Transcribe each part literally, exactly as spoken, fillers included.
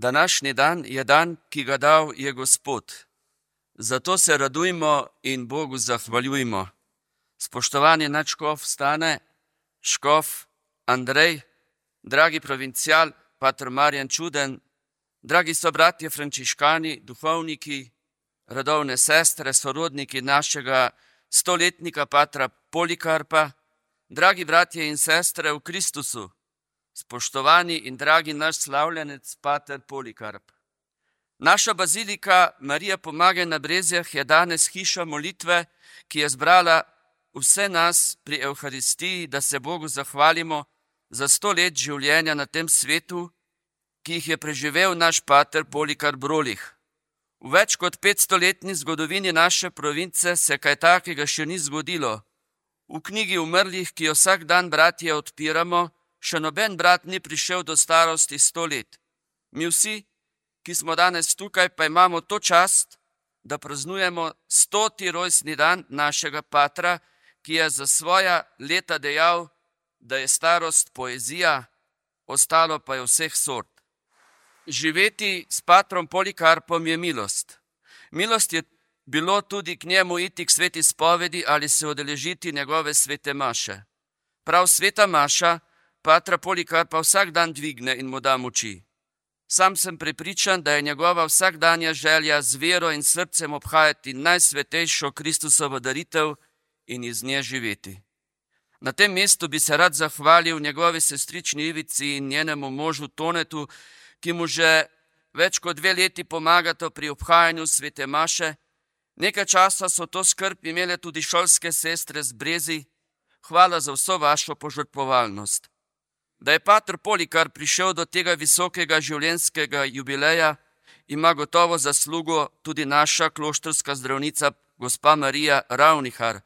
Današnji dan je dan, ki ga dal je Gospod. Zato se radujmo in Bogu zahvaljujmo. Spoštovani nadškof Stane, škof Andrej, dragi provincial, pater Marjan Čuden, dragi sobratje frančiškani, duhovniki, radovne sestre, sorodniki našega stoletnika patra Polikarpa, dragi bratje in sestre v Kristusu, spoštovani in dragi naš slavljenec pater Polikarp. Naša bazilika Marija Pomagaj na Brezjah je danes hiša molitve, ki je zbrala vse nas pri Evharistiji, da se Bogu zahvalimo za sto let življenja na tem svetu, ki jih je preživel naš pater Polikarp Brolih. V več kot petstoletni zgodovini naše province se kaj takega še ni zgodilo. V knjigi umrlih, ki jo vsak dan bratje odpiramo, še noben brat ni prišel do starosti sto let. Mi vsi, ki smo danes tukaj, pa imamo to čast, da praznujemo stoti rojstni dan našega patra, ki je za svoja leta dejal, da je starost poezija, ostalo pa je vseh sort. Živeti s patrom Polikarpom je milost. Milost je bilo tudi k njemu iti k sveti spovedi ali se udeležiti njegove svete maše. Prav sveta maša patra Polikarpa vsak dan dvigne in mu da moči. Sam sem prepričan, da je njegova vsakdanja želja z vero in srcem obhajati najsvetejšo Kristusovo daritev in iz nje živeti. Na tem mestu bi se rad zahvalil njegovi sestrični Ivici in njenemu možu Tonetu, ki mu že več kot dve leti pomagata pri obhajanju svete maše. Nekaj časa so to skrb imele tudi šolske sestre z Brezij. Hvala za vso vašo požrtvovalnost. Da je pater Polikarp prišel do tega visokega življenjskega jubileja, ima gotovo zaslugo tudi naša kloštrska zdravnica gospa Marija Ravnihar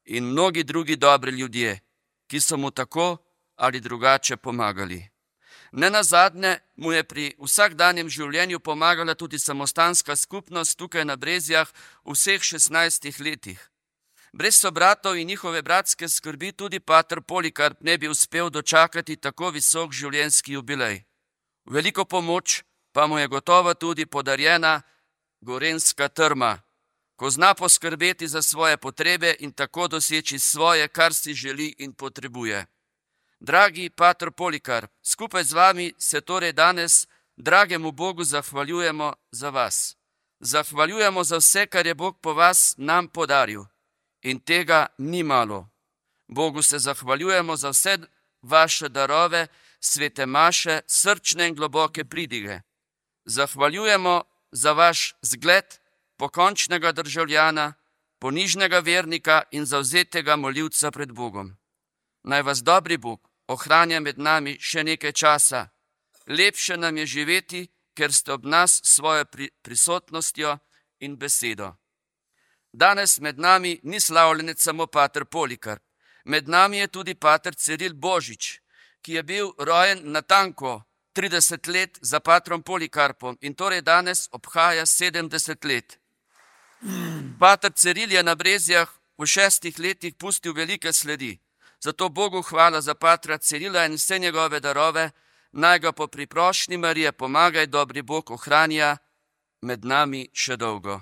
in mnogi drugi dobri ljudje, ki so mu tako ali drugače pomagali. Nenazadnje mu je pri vsakdanjem življenju pomagala tudi samostanska skupnost tukaj na Brezjah v vseh šestnajstih letih. Brez sobratov in njihove bratske skrbi tudi pater Polikarp ne bi uspel dočakati tako visok življenjski jubilej. Veliko pomoč pa mu je gotovo tudi podarjena gorenjska trma, ko zna poskrbeti za svoje potrebe in tako doseči svoje, kar si želi in potrebuje. Dragi pater Polikarp, skupaj z vami se torej danes dragemu Bogu zahvaljujemo za vas. Zahvaljujemo za vse, kar je Bog po vas nam podaril. In tega ni malo. Bogu se zahvaljujemo za vse vaše darove, svete maše, srčne in globoke pridige. Zahvaljujemo za vaš zgled pokončnega državljana, ponižnega vernika in zavzetega molilca pred Bogom. Naj vas dobri Bog ohranja med nami še nekaj časa. Lepše nam je živeti, ker ste ob nas s svojo prisotnostjo in besedo. Danes med nami ni slavljenec samo pater Polikarp. Med nami je tudi pater Ciril Božič, ki je bil rojen natanko trideset let za patrom Polikarpom in torej danes obhaja sedemdeset let. Pater Ciril je na Brezjah v šestih letih pustil velike sledi. Zato Bogu hvala za patra Cirila in vse njegove darove, naj ga po priprošnji Marije Pomagaj dobri Bog ohranja med nami še dolgo.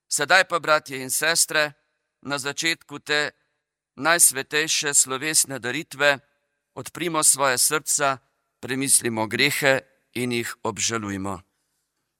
Sedaj pa, bratje in sestre, na začetku te najsvetejše slovesne daritve odprimo svoje srca, premislimo grehe in jih obžalujmo.